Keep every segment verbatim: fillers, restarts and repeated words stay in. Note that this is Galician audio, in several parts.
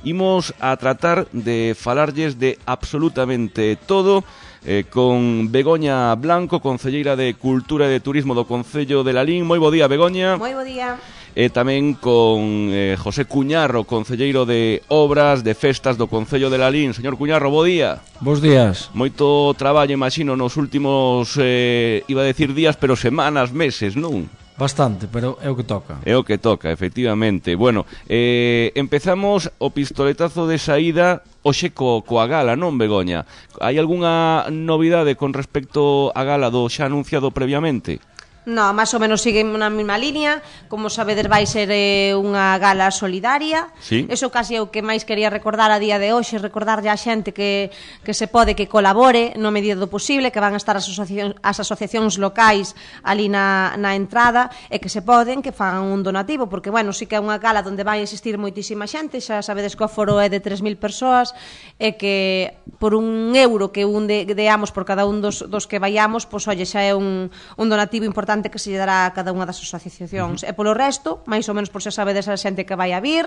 imos a tratar de falarlles de absolutamente todo eh, con Begoña Blanco, concelleira de Cultura e de Turismo do Concello de Lalín. Moi bo día, Begoña. Moi bo día. E tamén con eh, José Cuñarro, concelleiro de Obras, de Festas do Concello de Lalín. Señor Cuñarro, bo día. Bos días. Moito traballo, imagino, nos últimos, eh, iba a decir días, pero semanas, meses, non? Bastante, pero é o que toca. É o que toca, efectivamente. Bueno, eh, empezamos o pistoletazo de saída hoxe co, coa gala, non, Begoña? Hai algunha novidade con respecto á gala do xa anunciado previamente? No, máis ou menos sigue na mesma línea. Como sabedes, vai ser eh, unha gala solidaria. Sí. Eso casi é o que máis quería recordar a día de hoxe, recordarlle a xente que, que se pode que colabore no medida do posible, que van a estar as asociacións, as asociacións locais ali na, na entrada, e que se poden, que fagan un donativo, porque, bueno, sí que é unha gala onde vai existir moitísima xente. Xa sabedes que o foro é de tres mil persoas, e que por un euro que un de, deamos por cada un dos, dos que vayamos, pois, olle, xa é un, un donativo importante que se lle dará a cada unha das asociacións. Uh-huh. E polo resto, máis ou menos por xa sabedes a xente que vai a vir,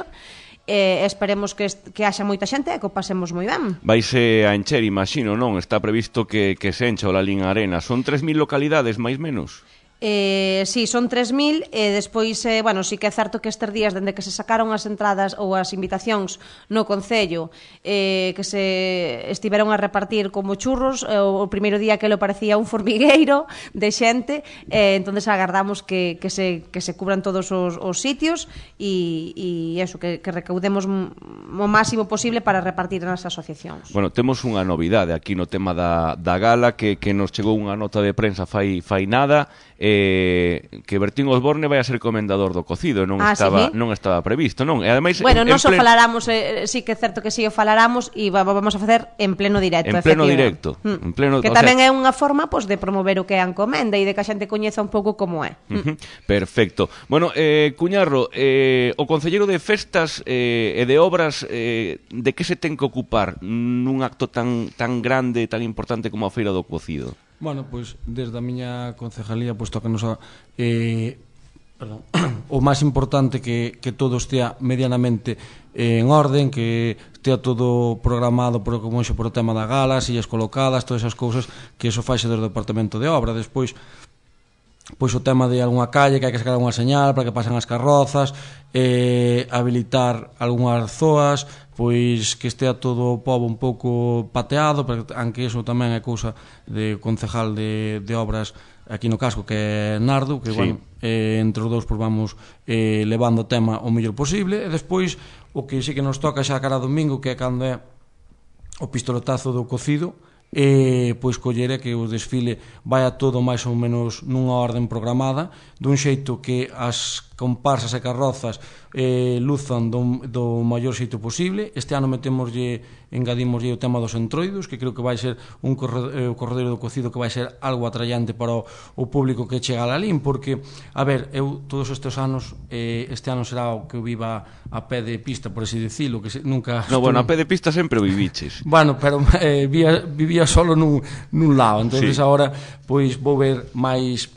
e esperemos que, que haxa moita xente e que o pasemos moi ben. Vaise a encher, imagino, non? Está previsto que, que se encha o Lalín Arena. Son tres mil localidades, máis menos? Eh, sí, son tres mil, e despois, eh, bueno, sí que é certo que estes días, dende que se sacaron as entradas ou as invitacións no Concello, eh, que se estiveron a repartir como churros, eh, o primeiro día que lo parecía un formigueiro de xente, eh, entonces agardamos que, que, se, que se cubran todos os, os sitios e, e eso, que, que recaudemos o máximo posible para repartir nas asociacións. Bueno, temos unha novidade aquí no tema da, da gala, que, que nos chegou unha nota de prensa fai, fai nada, eh, que Bertín Osborne vai a ser comendador do cocido, non ah, estaba sí? non estaba previsto, non? E ademais, bueno, non só plen... falaramos, eh, sí que é certo que sí o falaramos, e vamos a facer en pleno directo. En pleno directo. Mm. En pleno, que tamén sea... é unha forma, pois, de promover o que é a encomenda e de que a xente coñeza un pouco como é. Uh-huh. Perfecto. Bueno, eh, Cuñarro, eh, o concelleiro de Festas eh, e de Obras, eh, de que se ten que ocupar nun acto tan, tan grande, tan importante como a Feira do Cocido? Bueno, pois, desde a miña concejalía, pois, toca-nos a... Eh, perdón, o máis importante que, que todo estea medianamente eh, en orden, que estea todo programado por, como xe, por o tema da gala, sillas colocadas, todas esas cousas, que eso faixe desde o Departamento de Obra. Despois, pois o tema de algunha calle que hai que sacar unha señal para que pasen as carrozas, eh, habilitar algunhas zoas, pois que estea todo o pobo un pouco pateado, porque aunque eso tamén é cousa de concejal de, de obras aquí no casco, que é Nardo, que, sí, bueno, eh, entre os dous pois vamos eh, levando o tema o mellor posible. E despois o que sí que nos toca xa cara domingo, que é cando é o pistoletazo do cocido, e pois collere que o desfile vai a todo máis ou menos nunha orden programada, dun xeito que as comparsas e carrozas eh, luzan do, do maior xeito posible. Este ano metemoslle, engadimoslle o tema dos entroidos, que creo que vai ser un corredor, eh, o corredor do cocido que vai ser algo atrayante para o, o público que chega a Lalín, porque, a ver, eu todos estes anos, eh, este ano será o que eu viva a pé de pista, por así dicilo, que se, nunca... No, bueno, a pé de pista sempre o viviches. Bueno, pero eh, vivía, vivía solo nun, nun lado, entonces sí, agora pois vou ver máis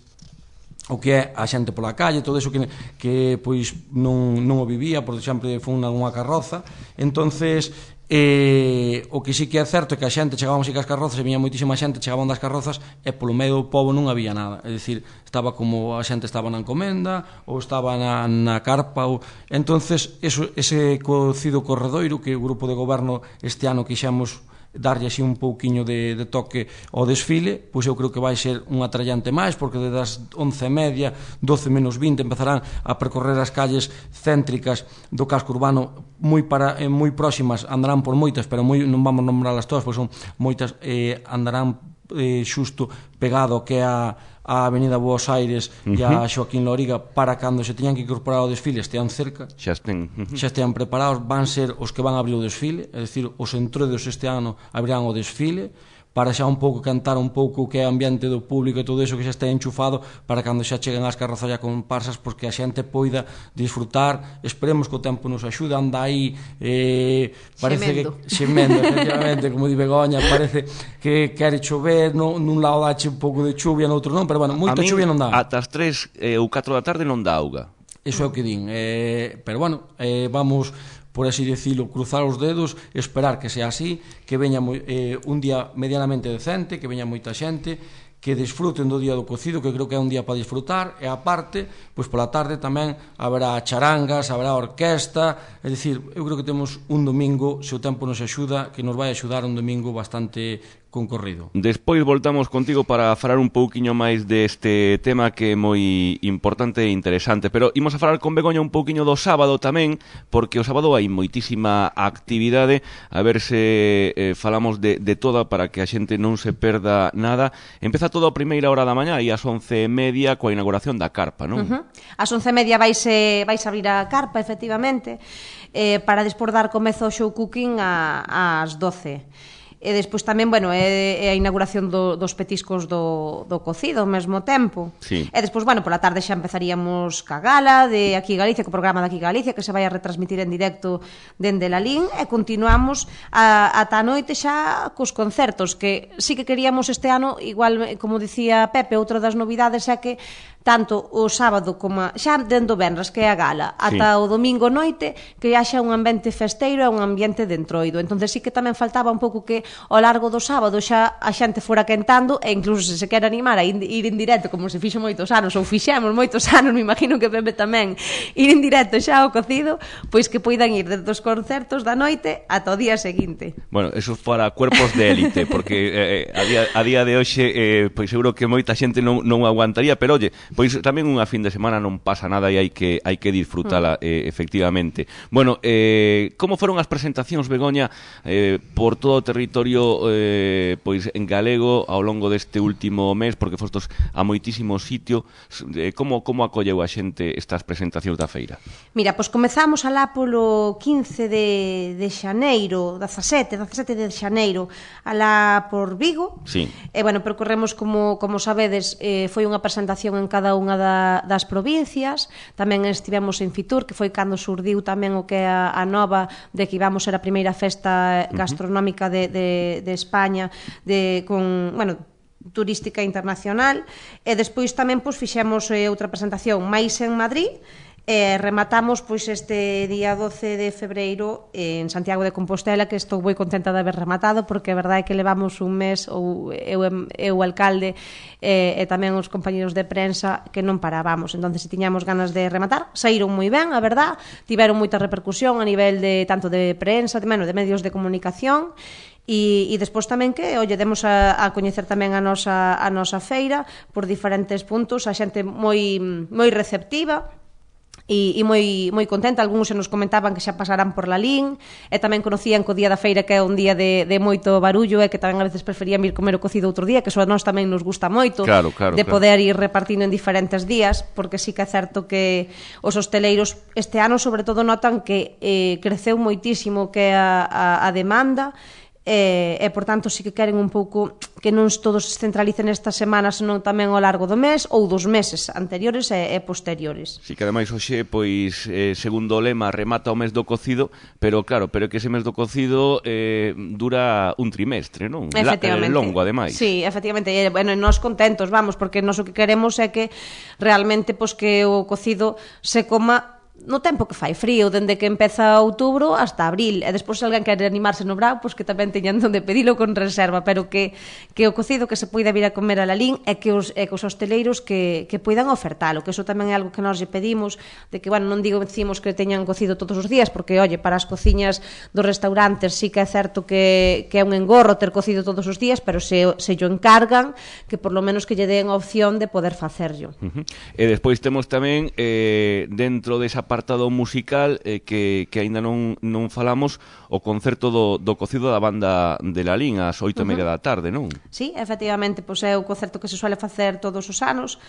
o que é a xente pola calle, todo eso que, que pois non, non o vivía, por exemplo, foi unha carroza. Entonces, eh, o que sí que é certo é que a xente chegábamos e que as carrozas, e viña moitísima xente, chegaban das carrozas e polo medio do pobo non había nada, é dicir, estaba como a xente estaba na encomenda ou estaba na, na carpa ou... entonces eso, ese cocido corredoiro que o grupo de goberno este ano quixemos darlle así un pouquiño de, de toque ao desfile, pois eu creo que vai ser un atrayante máis, porque desde as once e media, doce menos vinte empezarán a percorrer as calles céntricas do casco urbano moi para eh, moi próximas, andarán por moitas, pero moi, non vamos nombrarlas todas, pois son moitas, eh, andarán eh, xusto pegado que é a a Avenida Buenos Aires uh-huh. e a Xoaquín Loriga, para cando se teñan que incorporar ao desfile estean cerca, xa estén uh-huh. xa estean preparados. Van ser os que van a abrir o desfile, é dicir, os entroidos este ano abrirán o desfile, para xa un pouco cantar un pouco o que é o ambiente do público e todo iso, que xa está enchufado para cando xa cheguen as carrozas e comparsas, porque a xente poida disfrutar. Esperemos que o tempo nos axude. Anda aí eh, parece xemendo. que xemendo, efectivamente, como di Begoña, parece que quere chover, no, nun lado dache un pouco de chuvia, no outro non, pero bueno, moita chuvia non dá. Ata as tres eh, ou catro da tarde non dá auga. Iso é o que din, eh, pero bueno, eh, vamos por así decirlo, cruzar os dedos, esperar que sea así, que veña eh, un día medianamente decente, que veña moita xente, que desfruten do día do cocido, que creo que é un día para disfrutar, e aparte, pois pola tarde tamén haberá charangas, haberá orquesta, é dicir, eu creo que temos un domingo, se o tempo nos axuda, que nos vai axudar un domingo bastante concorrido. Despois voltamos contigo para falar un pouquiño máis deste tema que é moi importante e interesante, pero imos a falar con Begoña un pouquiño do sábado tamén, porque o sábado hai moitísima actividade, a ver se eh, falamos de, de toda para que a xente non se perda nada. Empeza todo a primeira hora da mañá e ás once e media coa inauguración da carpa, non? Uh-huh. Ás once e media vais, eh, vais abrir a carpa, efectivamente, eh, para despois dar comezo ao show cooking a, ás doce. E despois tamén, bueno, é, é a inauguración do, dos petiscos do, do cocido ao mesmo tempo. Sí. E despois, bueno, pola tarde xa empezaríamos ca gala de Aquí Galicia, co programa de Aquí Galicia, que se vai a retransmitir en directo dende Lalín, e continuamos a, ata a noite xa cos concertos, que sí que queríamos este ano, igual, como dicía Pepe, outra das novidades é que tanto o sábado como a, xa dentro venres, que é a gala, ata sí. o domingo noite, que haxa un ambiente festeiro e un ambiente de entroido. Entonces sí que tamén faltaba un pouco que ao largo do sábado xa a xente fora quentando, e incluso se se quere animar a ir en directo, como se fixo moitos anos, ou fixemos moitos anos, me imagino que Pepe tamén, ir en directo xa ao cocido, pois que poidan ir desde os concertos da noite ata o día seguinte. Bueno, eso para cuerpos de élite, porque eh, a, día, a día de hoxe eh, pois seguro que moita xente non, non aguantaría, pero oye, pois tamén unha fin de semana non pasa nada e hai que hai que disfrutala mm. eh, efectivamente. Bueno, eh, como foron as presentacións, Begoña, eh, por todo o territorio eh, pois en galego ao longo deste último mes, porque fostos a moitísimos sitios, eh, como como acolleu a xente estas presentacións da feira? Mira, pois comezamos alá polo quince de, de xaneiro, dezasete, dezasete de xaneiro, alá por Vigo. Sí. E, bueno, percorremos, como, como sabedes, eh, foi unha presentación en cada unha da, das provincias. Tamén estivemos en Fitur, que foi cando surdiu tamén o que é a, a nova de que íbamos ser a primeira festa gastronómica de, de, de España, de, con, bueno, turística internacional. E despois tamén pois, fixemos eh, outra presentación máis en Madrid. E rematamos pois este día doce de febreiro en Santiago de Compostela, que estou moi contenta de haber rematado, porque a verdade é que levamos un mes, ou eu, eu o alcalde e, e tamén os compañeros de prensa, que non parábamos. Entón, se tiñamos ganas de rematar, saíron moi ben, a verdade, tiveron moita repercusión a nivel de tanto de prensa, de, bueno, de medios de comunicación. E, e despois tamén que, olle, demos a, a coñecer tamén a nosa, a nosa feira por diferentes puntos, a xente moi, moi receptiva e, e moi, moi contenta. Algúns se nos comentaban que xa pasarán por Lalín, e tamén conocían que o día da feira que é un día de, de moito barullo, e que tamén a veces preferían ir comer o cocido outro día, que eso a nós tamén nos gusta moito, claro, claro, de claro. poder ir repartindo en diferentes días, porque sí que é certo que os hosteleiros este ano sobre todo notan que eh, creceu moitísimo que a, a, a demanda, e, e por tanto sí que queren un pouco que non todos se centralicen esta semana, senón tamén ao largo do mes ou dos meses anteriores e, e posteriores. Si que ademais hoxe, pois, eh, segundo o lema, remata o mes do cocido, pero claro, pero que ese mes do cocido eh, dura un trimestre, non? Efectivamente. La, eh, longo, ademais. Sí, efectivamente, e, bueno, nós contentos, vamos, porque nós o que queremos é que realmente, pois, que o cocido se coma no tempo que fai frío, dende que empeza outubro hasta abril, e despois se alguén quere animarse no brao, pois que tamén teñan onde pedilo con reserva, pero que, que o cocido que se poida vir a comer a Lalín é que os, é que os hosteleiros que, que poidan ofertalo, que eso tamén é algo que nós lle pedimos, de que, bueno, non digo decimos que teñan cocido todos os días, porque, oye, para as cociñas dos restaurantes sí que é certo que, que é un engorro ter cocido todos os días, pero se, se yo encargan, que por lo menos que lle den a opción de poder facerlo. Uh-huh. E despois temos tamén, eh, dentro desa apartado musical eh, que, que aínda non, non falamos, o concerto do, do cocido da banda de Lalín ás oito e media da tarde, non? Sí, efectivamente, pois é o concerto que se suele facer todos os anos.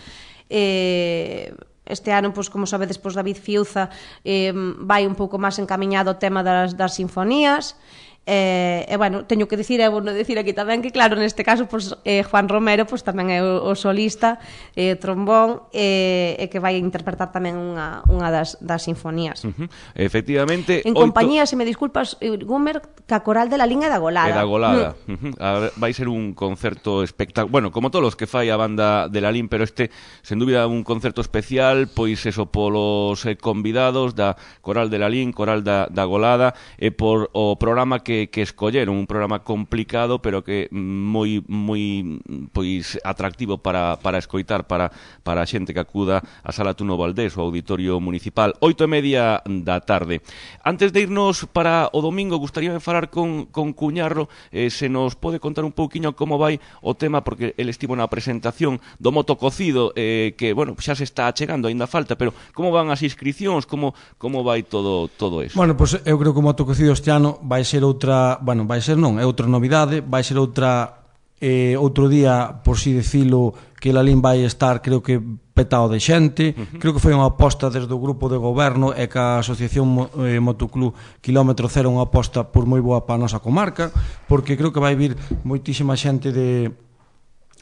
Eh, este ano, pois, como sabedes, pois, David Fiuza eh, vai un pouco máis encamiñado ao tema das, das sinfonías. E, e bueno, teño que dicir, e vou dicir aquí tamén que claro, neste caso pues, eh, Juan Romero pues, tamén é o, o solista eh, trombón e, e que vai interpretar tamén unha, unha das, das sinfonías. Uh-huh. Efectivamente, en oito... compañía, se me disculpas, Gumer, ca coral de la Linha da Golada. E da Golada. Mm. Uh-huh. A ver, vai ser un concerto espectacular, bueno, como todos os que fai a banda de la Lin, pero este, sen dúbida, un concerto especial, pois eso, polos eh, convidados da coral de la Lin, coral da, da Golada, e por o programa que que, que escolleron, un programa complicado pero que moi moi pois atractivo para, para escoitar para, para a xente que acuda á Sala Tuno Valdés, o auditorio municipal, oito e media da tarde. Antes de irnos para o domingo, gustaríame falar con, con Cuñarro, eh, se nos pode contar un pouquiño como vai o tema, porque el estivo na presentación do moto cocido, eh, que, bueno, xa se está chegando, aínda falta, pero como van as inscripcións, como, como vai todo, todo eso? Bueno, pois pues, eu creo que o moto cocido este ano vai ser outra, bueno, vai ser non, é outra novidade, vai ser outra eh, outro día, por si decilo, que Lalín vai estar, creo que petado de xente. Uh-huh. Creo que foi unha aposta desde o grupo de goberno e que a Asociación eh, Motoclub Kilómetro Cero unha aposta por moi boa para a nosa comarca, porque creo que vai vir moitísima xente de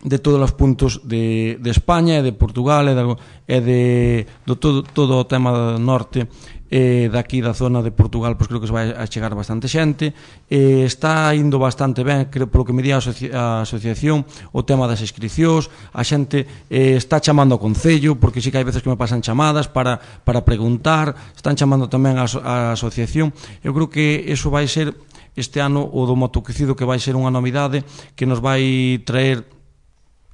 de todos os puntos de, de España e de Portugal e de, e de do todo, todo o tema do norte e daqui da zona de Portugal, pois creo que se vai a chegar bastante xente. E está indo bastante ben, creo, polo que me di a, asoci a asociación, o tema das inscripcións, a xente eh, está chamando ao Concello, porque sí que hai veces que me pasan chamadas para, para preguntar, están chamando tamén a, a asociación. Eu creo que eso vai ser este ano o do motococido, que vai ser unha novidade que nos vai traer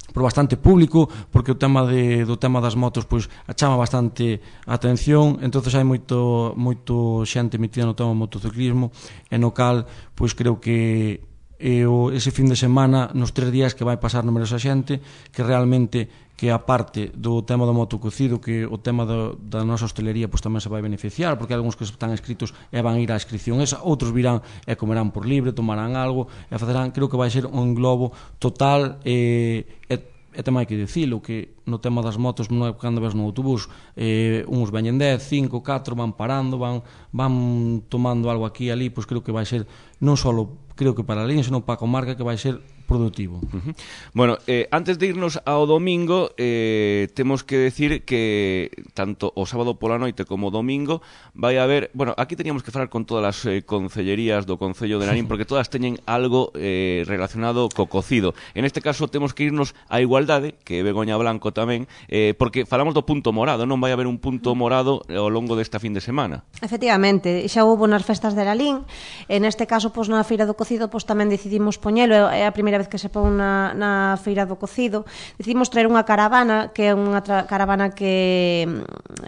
por bastante público, porque o tema de, do tema das motos pois chama bastante a atención, entonces hai moito moito xente metida no tema do motociclismo, e no cal pois creo que e o, ese fin de semana, nos tres días que vai pasar numerosa xente, que realmente que a parte do tema do motococido, que o tema do, da nosa hostelería pois tamén se vai beneficiar, porque hai algúns que están inscritos e van ir á inscripción esa, outros virán e comerán por libre, tomarán algo e facerán, creo que vai ser un globo total e, e, e tamén hai que dicilo, que no tema das motos, non é cando ves no autobús, eh, uns veñen dez, cinco, catro, van parando, van, van tomando algo aquí e ali, pois creo que vai ser non só creo que para a Lalín, senón para a comarca, que vai ser productivo. Uh-huh. Bueno, eh, antes de irnos ao domingo, eh, temos que decir que tanto o sábado pola noite como o domingo vai haber, bueno, aquí teníamos que falar con todas as eh, concellerías do Concello de Lalín, porque todas teñen algo eh, relacionado co cocido. En este caso temos que irnos á Igualdade, que é Begoña Blanco tamén, eh, porque falamos do punto morado, non vai haber un punto morado ao longo desta fin de semana. Efectivamente, xa houve nas festas de Lalín, en este caso, pois, na Feira do Cocido, pois, tamén decidimos poñelo, é a primeira vez que se pon na, na Feira do Cocido, decidimos traer unha caravana, que é unha caravana que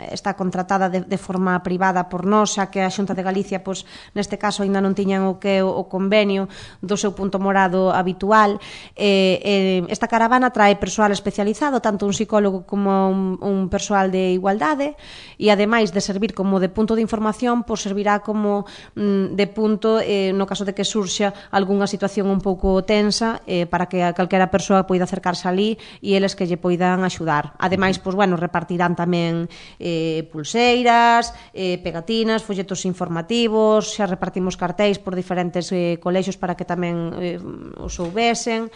está contratada de, de forma privada por nós, xa que a Xunta de Galicia, pois, neste caso, ainda non tiñan o que o, o convenio do seu punto morado habitual. Eh, eh, esta caravana trae persoal especializado, tanto un psicólogo como un, un persoal de igualdade, e ademais de servir como de punto de información, pois servirá como mm, de punto eh, no caso de que surxa algunha situación un pouco tensa, eh, para que a calquera persoa poida acercarse ali e eles que lle poidan axudar. Ademais, pois, bueno, repartirán tamén eh, pulseiras, eh, pegatinas, folletos informativos, xa repartimos cartéis por diferentes eh, colexios para que tamén eh, os soubesen.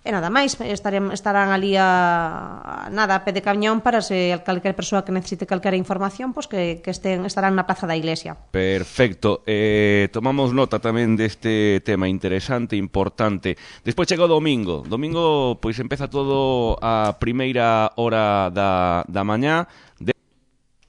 E nada máis, estarán, estarán ali a, a nada, a pé de cañón para se calquera persoa que necesite calquera información, pois que, que estén, estarán na Praza da Iglesia. Perfecto, eh, tomamos nota tamén deste tema interesante, importante. Despois chega o domingo, domingo pois empeza todo a primeira hora da, da mañá, de,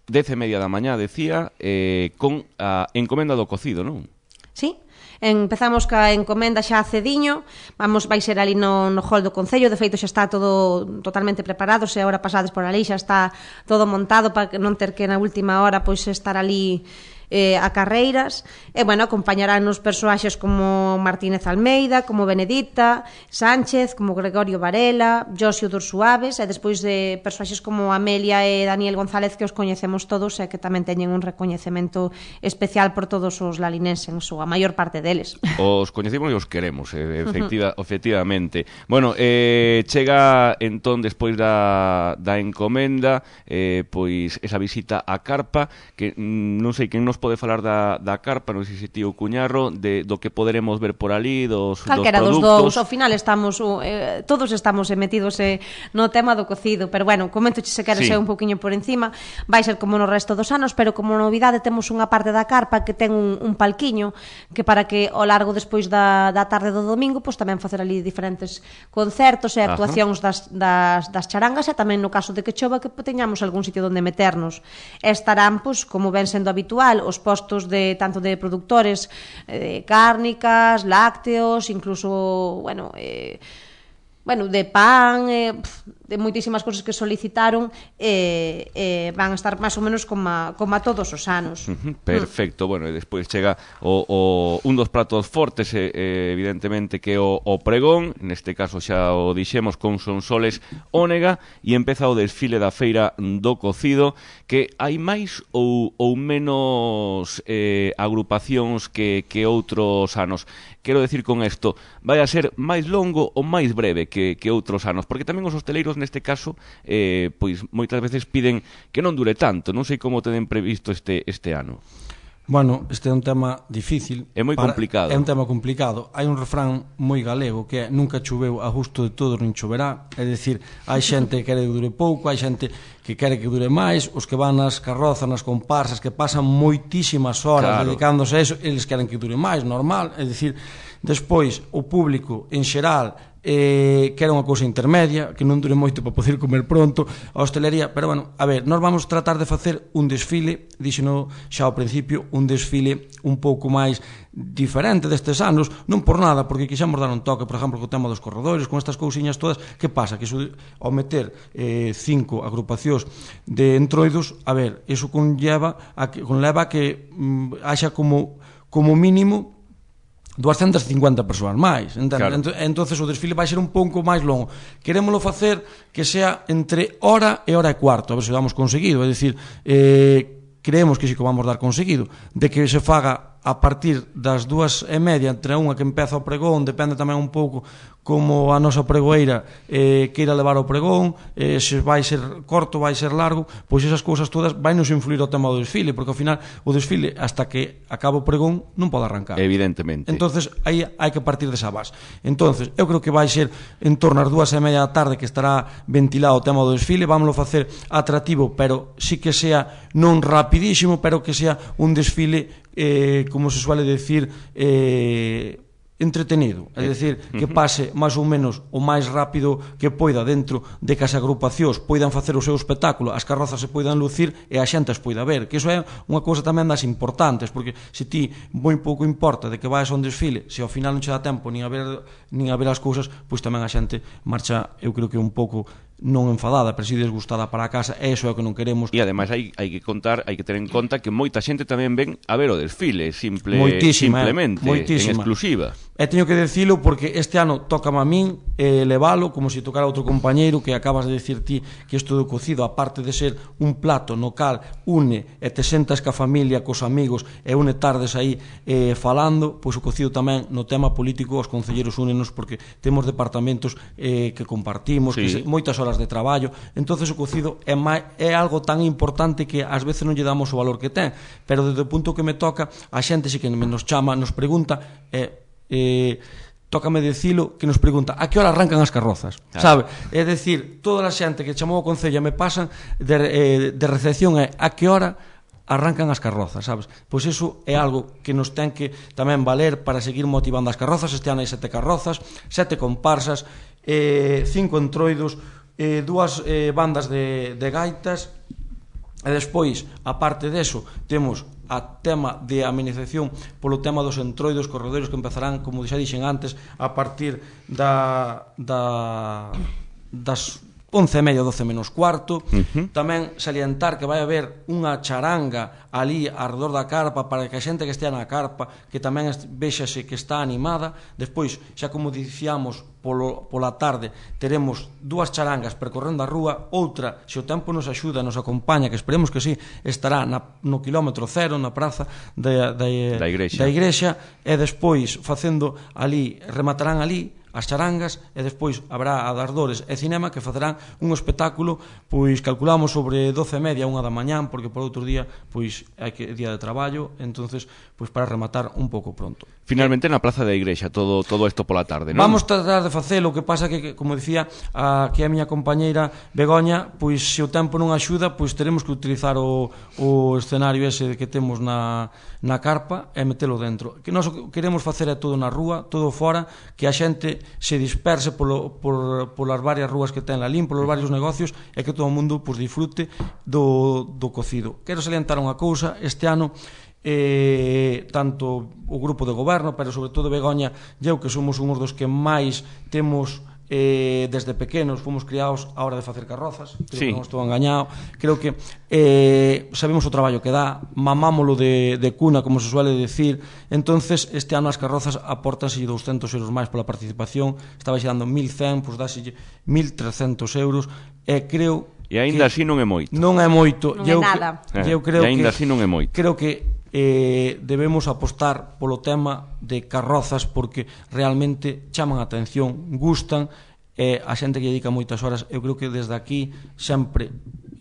dez e media da mañá, decía, eh, con a encomenda do cocido, non? Sí. Empezamos ca encomenda xa cediño, vamos, vai ser ali no, no hall do Concello, de feito xa está todo totalmente preparado, se agora pasades por ali xa está todo montado para non ter que na última hora pois estar ali eh, a carreiras, e, bueno, acompañarán os persoaxes como Martínez Almeida, como Benedita Sánchez, como Gregorio Varela, Josio dos Suaves, e despois de persoaxes como Amelia e Daniel González, que os coñecemos todos e que tamén teñen un recoñecemento especial por todos os lalinenses, ou a maior parte deles. Os coñecemos e os queremos, efectiva, efectivamente. Bueno, eh, chega entón despois da, da encomenda, eh, pois esa visita á carpa, que mm, non sei quen nos nos pode falar da, da carpa, non sei se tío Cuñarro, de, do que poderemos ver por ali, dos, Calquera dos dos produtos. dous, ao final estamos eh, todos estamos metidos eh, no tema do cocido, pero bueno, comento se queres Sí. un pouquiño por encima, vai ser como no resto dos anos, pero como novidade temos unha parte da carpa que ten un, un palquiño que para que ao largo despois da, da tarde do domingo, pois tamén facer ali diferentes concertos e actuacións das, das, das charangas, e tamén no caso de que chova que teñamos algún sitio onde meternos. E estarán, pois, como ven sendo habitual, os postos de tanto de productores eh, cárnicas, lácteos, incluso, bueno, eh, bueno, de pan, eh, de moitísimas cousas que solicitaron, eh, eh, van a estar máis ou menos como a, como a todos os anos. Uh-huh, perfecto, mm. Bueno, e despois chega o, o, un dos pratos fortes, eh, eh, evidentemente, que é o, o pregón, neste caso xa o dixemos, con Sonsoles Ónega, e empeza o desfile da feira do cocido, que hai máis ou, ou menos eh, agrupacións que, que outros anos. Quero decir con isto, vai a ser máis longo ou máis breve que, que outros anos, porque tamén os hosteleiros neste caso, eh, pois moitas veces piden que non dure tanto. Non sei como tenen previsto este, este ano. Bueno, este é un tema difícil. É moi para, complicado. É un tema complicado. Hai un refrán moi galego que é nunca choveu a gusto de todos nin choverá. É dicir, hai xente que quere que dure pouco, hai xente que quere que dure máis, os que van nas carrozas, nas comparsas, que pasan moitísimas horas claro. dedicándose a eso, eles queren que dure máis, normal. É dicir, despois o público en xeral eh, que era unha cousa intermedia, que non dure moito para poder comer pronto, a hostelería, pero bueno, a ver, nós vamos tratar de facer un desfile, díxeno xa ao principio, un desfile un pouco máis diferente destes anos, non por nada, porque quixemos dar un toque, por exemplo, co tema dos corredores, con estas cousiñas todas, que pasa? Que iso, ao meter eh, cinco agrupacións de entroidos, a ver, iso conlleva a que, conleva a que mm, haxa como, como mínimo doscientas cincuenta persoas máis, entende? Claro. Entonces o desfile vai ser un pouco máis longo. Querémolo facer que sea entre hora e hora e cuarto, a ver se o damos conseguido, é dicir, eh, creemos que si que vamos dar conseguido, de que se faga a partir das dúas e media, entre unha que empeza o pregón, depende tamén un pouco como a nosa pregoeira eh, queira levar o pregón, eh, se vai ser corto, vai ser largo, pois esas cousas todas vai nos influir o tema do desfile, porque ao final o desfile, hasta que acaba o pregón, non pode arrancar. Evidentemente. Entonces aí hai que partir desa base. Entonces eu creo que vai ser en torno ás dúas e media da tarde que estará ventilado o tema do desfile, vámoslo facer atractivo, pero sí que sea non rapidísimo, pero que sea un desfile, eh, como se suele decir, eh, entretenido, é dicir, que pase máis ou menos o máis rápido que poida dentro de que as agrupacións poidan facer o seu espectáculo, as carrozas se poidan lucir e a xente as poida ver, que iso é unha cousa tamén das importantes, porque se ti moi pouco importa de que vais a un desfile, se ao final non che dá tempo nin a ver, nin a ver as cousas, pois tamén a xente marcha, eu creo que un pouco non enfadada, pero si desgustada para a casa, e iso é o que non queremos. E ademais hai, hai que contar, hai que ter en conta que moita xente tamén ven a ver o desfile, simple, moitísima, simplemente, eh, moitísima. En exclusiva. E teño que decilo porque este ano tócame a min eh, levalo como se tocara outro compañeiro, que acabas de decir ti que isto do cocido, aparte de ser un plato no cal une e te sentas ca familia, cos amigos e une tardes aí eh, falando, pois o cocido tamén no tema político os concelleiros únenos, porque temos departamentos eh, que compartimos, sí, que se, moitas horas de traballo, entonces o cocido é, máis, é algo tan importante que ás veces non lle damos o valor que ten, pero desde o punto que me toca, a xente si que nos chama, nos pregunta, eh, eh, tócame decilo, que nos pregunta a que hora arrancan as carrozas, claro, sabe? É dicir, toda a xente que chamou a Concello me pasan de, eh, de recepción é a que hora arrancan as carrozas, sabes? Pois iso é algo que nos ten que tamén valer para seguir motivando as carrozas. Este ano hai sete carrozas, sete comparsas, eh, cinco entroidos, eh, dúas eh, bandas de, de gaitas, e despois, aparte deso, temos a tema de amenización polo tema dos entroidos, corredores que empezarán, como xa dixen antes, a partir da, da das once e media, doce menos cuarto. Uh-huh. Tamén salientar que vai haber unha charanga ali arredor da carpa para que a xente que estea na carpa que tamén véxase que está animada. Despois, xa como dicíamos, polo, pola tarde teremos dúas charangas percorrendo a rúa, outra, se o tempo nos axuda, nos acompaña, que esperemos que sí, estará na, no kilómetro cero, na praza da, da, da, igrexa. da igrexa, e despois facendo ali, rematarán ali as charangas, e despois habrá a das Dores e Cinema, que facerán un espectáculo, pois calculamos sobre doce e media, unha da mañán, porque por outro día pois hai que día de traballo, entonces pois para rematar un pouco pronto. Finalmente na Plaza da Igrexa, todo todo isto pola tarde, non? Vamos tratar de facelo, o que pasa que, como dicía a, que a miña compañeira Begoña, pois se o tempo non axuda, pois teremos que utilizar o, o escenario ese que temos na, na carpa e metelo dentro. Que nós queremos facer é todo na rúa, todo fora, que a xente se disperse polo, por, polas varias rúas que ten Lalín, polos varios negocios, e que todo o mundo pois, disfrute do, do cocido. Quero salientar unha cousa, este ano eh, tanto o grupo de goberno, pero sobre todo Begoña e eu, que somos uns dos que máis temos eh, desde pequenos, fomos criados a hora de facer carrozas, creo sí. que non estou engañado, creo que eh, sabemos o traballo que dá, mamámolo de, de cuna, como se suele decir. Entonces este ano as carrozas aportanse doscentos euros máis pola participación, estaba xe dando mil cen, pois dase mil trescentos euros, e creo e aínda así non é moito. Non é moito. Non é eu, nada. Que, eu creo e aínda que, así non é moito. Creo que eh, debemos apostar polo tema de carrozas, porque realmente chaman a atención, gustan, e a xente que dedica moitas horas. Eu creo que desde aquí sempre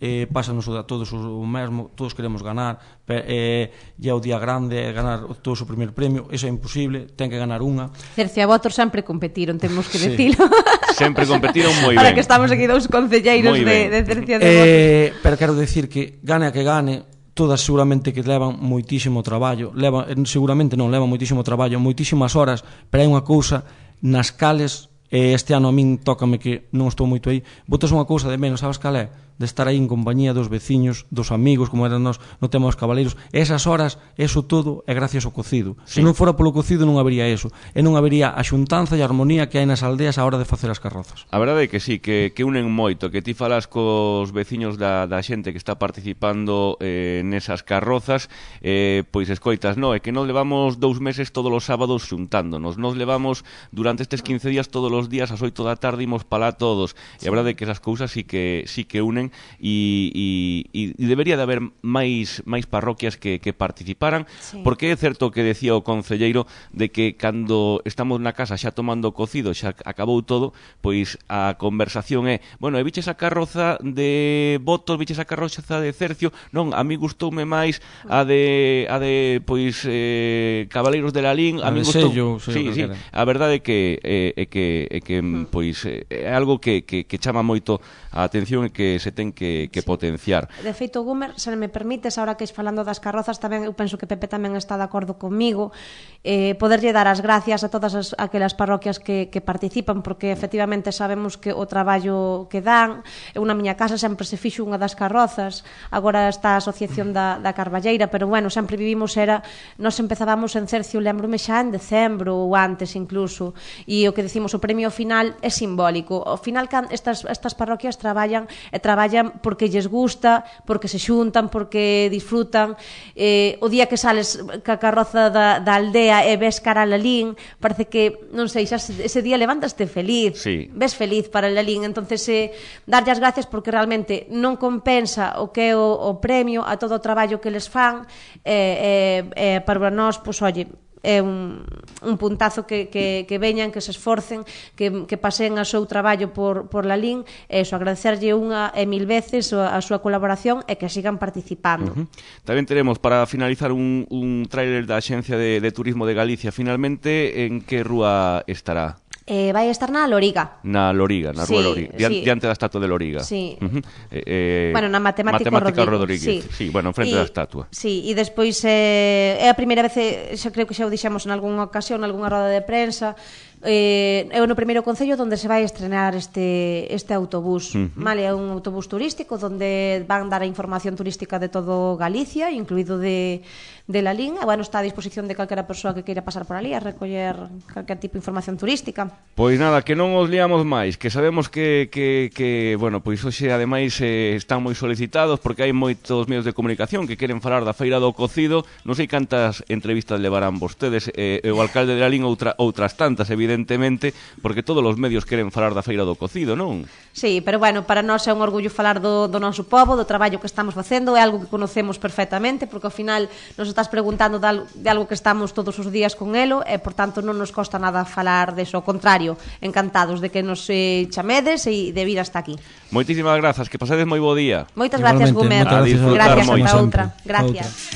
eh, pásanos a todos o mesmo, todos queremos ganar, e eh, o día grande, ganar todos o primer premio, eso é imposible, ten que ganar unha. Cercia e Votos sempre competiron, temos que sí. decilo. Sempre competiron moi ben. Ahora que estamos aquí dous concelleiros de, de Cercia e de Votos. Eh, pero quero decir que gane a que gane, todas seguramente que levan moitísimo traballo, levan, seguramente non, levan moitísimo traballo, moitísimas horas, pero hai unha cousa nas cales, e este ano a min tócame que non estou moito aí, botas unha cousa de menos, sabes cal é? De estar aí en compañía dos veciños, dos amigos, como eran nós, no tema dos cabaleiros. Esas horas, eso todo é gracias ao cocido. Sí. Se non fora polo cocido non habería eso, e non habería a xuntanza e a armonía que hai nas aldeas a hora de facer as carrozas. A verdade é que sí, que, que unen moito, que ti falas cos veciños da, da xente que está participando eh, nesas carrozas, eh, pois escoitas, no, é que nos levamos dous meses todos os sábados xuntándonos, nos levamos durante estes quince días todos os días ás oito da tarde imos palá todos, e a verdade é que esas cousas sí que, sí que unen. E, e, e debería de haber máis máis parroquias que, que participaran, sí. Porque é certo que decía o concelleiro de que cando estamos na casa xa tomando cocido, xa acabou todo, pois a conversación é, bueno, e viches a carroza de Votos, viches a carroza de Cercio, non, a mí gustoume máis a de a de pois eh, Cabaleiros de Lalín, a, a mí gustou, sello, sí, sí, a verdade é que é eh, que é que pois é algo que, que, que chama moito a atención e que se ten que, que sí. potenciar. De feito, Gumer, se me permites, ahora que es falando das carrozas, tamén eu penso que Pepe tamén está de acordo comigo, eh, poderlle dar as gracias a todas as, aquelas parroquias que, que participan, porque efectivamente sabemos que o traballo que dan, eu na miña casa sempre se fixo unha das carrozas, agora está a asociación da, da Carballeira, pero bueno, sempre vivimos, era, nos empezábamos en Cercio, lembrome xa en decembro ou antes incluso, e o que decimos, o premio final é simbólico. Ao final, estas, estas parroquias traballan e traballan porque lles gusta, porque se xuntan, porque disfrutan. Eh, o día que sales ca carroza da, da aldea e ves cara a Lalín, parece que, non sei, xa ese día levantaste feliz, sí. Ves feliz para Lalín. Entonces, eh, darlle as gracias porque realmente non compensa o que é o, o premio a todo o traballo que les fan, e eh, eh, para nós, pois, oye, é un, un puntazo que, que, que veñan, que se esforcen, que, que pasen a seu traballo por, por Lalín, e iso, agradecerlle unha e mil veces a, a súa colaboración e que sigan participando. Uh-huh. Tamén teremos, para finalizar, un, un tráiler da Axencia de, de Turismo de Galicia. Finalmente, en que rúa estará? Eh, vai estar na Loriga. Na Loriga, na sí, rúa Loriga, Dian, sí. diante da estatua de Loriga. Sí. Uh-huh. eh, bueno, na Matemática, Matemática Rodríguez. Rodríguez. Sí. sí, bueno, enfrente y, da estatua. Sí, e despois eh, é a primeira vez, xa creo que xa o dixemos en algunha ocasión, en algunha roda de prensa, eh, é no primeiro concello onde se vai estrenar este, este autobús. Uh-huh. Vale, é un autobús turístico onde van dar a información turística de todo Galicia, incluído de, de Lalín, e bueno, está a disposición de calquera persoa que queira pasar por ali a recoller calquer tipo de información turística. Pois nada, que non os liamos máis, que sabemos que, que, que bueno, pois hoxe ademais eh, están moi solicitados porque hai moitos medios de comunicación que queren falar da Feira do Cocido. Non sei cantas entrevistas levarán vostedes, eh, e o alcalde de Lalín outra, outras tantas, evidentemente, porque todos os medios queren falar da Feira do Cocido, non? Sí, pero bueno, para nós é un orgullo falar do, do noso povo, do traballo que estamos facendo, é algo que conocemos perfectamente, porque ao final nos estás preguntando de algo, de algo que estamos todos os días con elo, e por tanto non nos costa nada falar deso, ao contrario, contrario, encantados de que nos eh, chamedes e de vir hasta aquí. Moitísimas grazas, que pasedes moi bo día. Moitas gracias, Igualmente, Gumer. moitas gracias, Gracias, moi hasta sempre. outra. Hasta Gracias. outra.